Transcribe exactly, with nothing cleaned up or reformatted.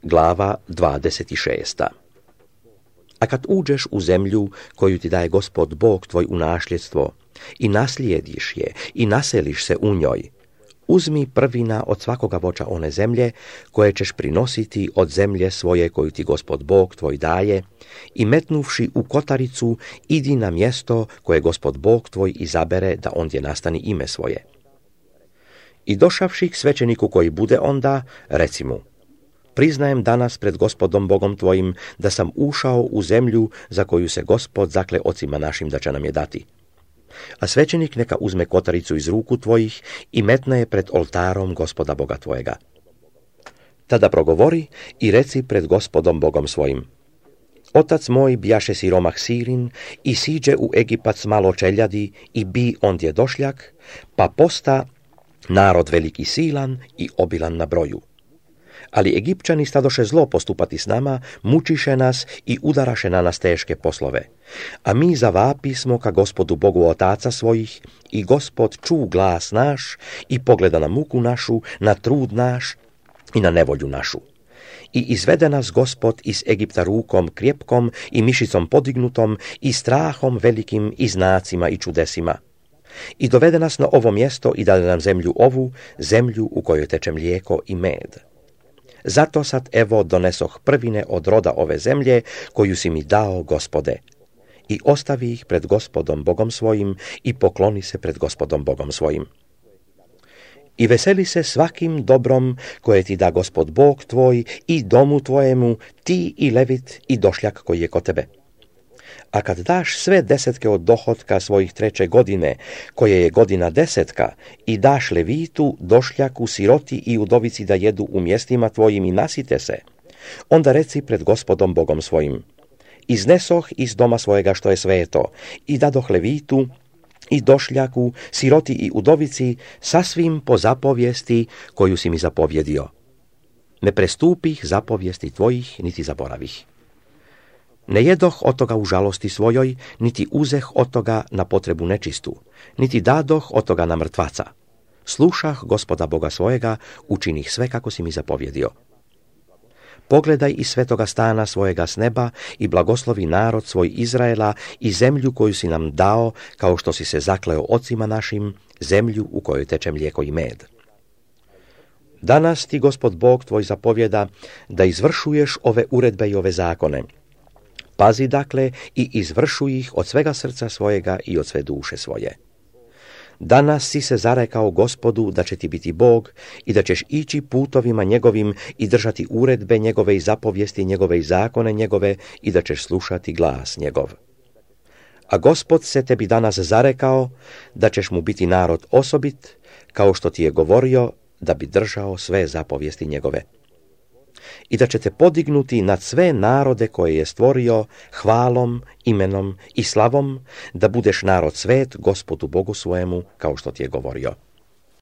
Glava dvadeset šest. A kad uđeš u zemlju koju ti daje Gospod Bog tvoj u nasljedstvo i naslijediš je i naseliš se u njoj, uzmi prvina od svakoga voća one zemlje koje ćeš prinositi od zemlje svoje koju ti Gospod Bog tvoj daje i metnuvši u kotaricu idi na mjesto koje Gospod Bog tvoj izabere da ondje nastani ime svoje. I došavši k svećeniku koji bude onda, reci mu: priznajem danas pred Gospodom Bogom tvojim da sam ušao u zemlju za koju se Gospod zakle ocima našim da će nam je dati. A svećenik neka uzme kotaricu iz ruku tvojih i metne je pred oltarom Gospoda Boga tvojega. Tada progovori i reci pred Gospodom Bogom svojim: otac moj bijaše siromah Sirin i siđe u Egipat s malo čeljadi i bi ondje došljak, pa posta narod veliki silan i obilan na broju. Ali Egipćani stadoše zlo postupati s nama, mučiše nas i udaraše na nas teške poslove. A mi zavapismo ka Gospodu Bogu otaca svojih i Gospod ču glas naš i pogleda na muku našu, na trud naš i na nevolju našu. I izvede nas Gospod iz Egipta rukom krjepkom i mišicom podignutom i strahom velikim i znacima i čudesima. I dovede nas na ovo mjesto i dade nam zemlju ovu, zemlju u kojoj teče mlijeko i med. Zato sad evo donesoh prvine od roda ove zemlje koju si mi dao, Gospode. I ostavi ih pred Gospodom Bogom svojim i pokloni se pred Gospodom Bogom svojim. I veseli se svakim dobrom koje ti da Gospod Bog tvoj i domu tvojemu, ti i levit i došljak koji je kod tebe. A kad daš sve desetke od dohotka svojih treće godine, koje je godina desetka, i daš levitu, došljaku, siroti i udovici da jedu u mjestima tvojim i nasite se, onda reci pred Gospodom Bogom svojim: iznesoh iz doma svojega što je sveto i dadoh levitu i došljaku, siroti i udovici sasvim po zapovijesti koju si mi zapovjedio. Ne prestupih zapovijesti tvojih, niti zaboravih. Ne jedoh od toga u žalosti svojoj, niti uzeh od toga na potrebu nečistu, niti dadoh od toga na mrtvaca. Slušah Gospoda Boga svojega, učinih sve kako si mi zapovjedio. Pogledaj iz svetoga stana svojega s neba i blagoslovi narod svoj Izraela i zemlju koju si nam dao, kao što si se zakleo ocima našim, zemlju u kojoj teče mlijeko i med. Danas ti Gospod Bog tvoj zapovjeda da izvršuješ ove uredbe i ove zakone. Pazi dakle i izvršuj ih od svega srca svojega i od sve duše svoje. Danas si se zarekao Gospodu da će ti biti Bog i da ćeš ići putovima njegovim i držati uredbe njegove i zapovijesti njegove i zakone njegove i da ćeš slušati glas njegov. A Gospod se tebi danas zarekao da ćeš mu biti narod osobit, kao što ti je govorio da bi držao sve zapovijesti njegove. I da će te podignuti nad sve narode koje je stvorio hvalom, imenom i slavom, da budeš narod svet Gospodu Bogu svojemu, kao što ti je govorio.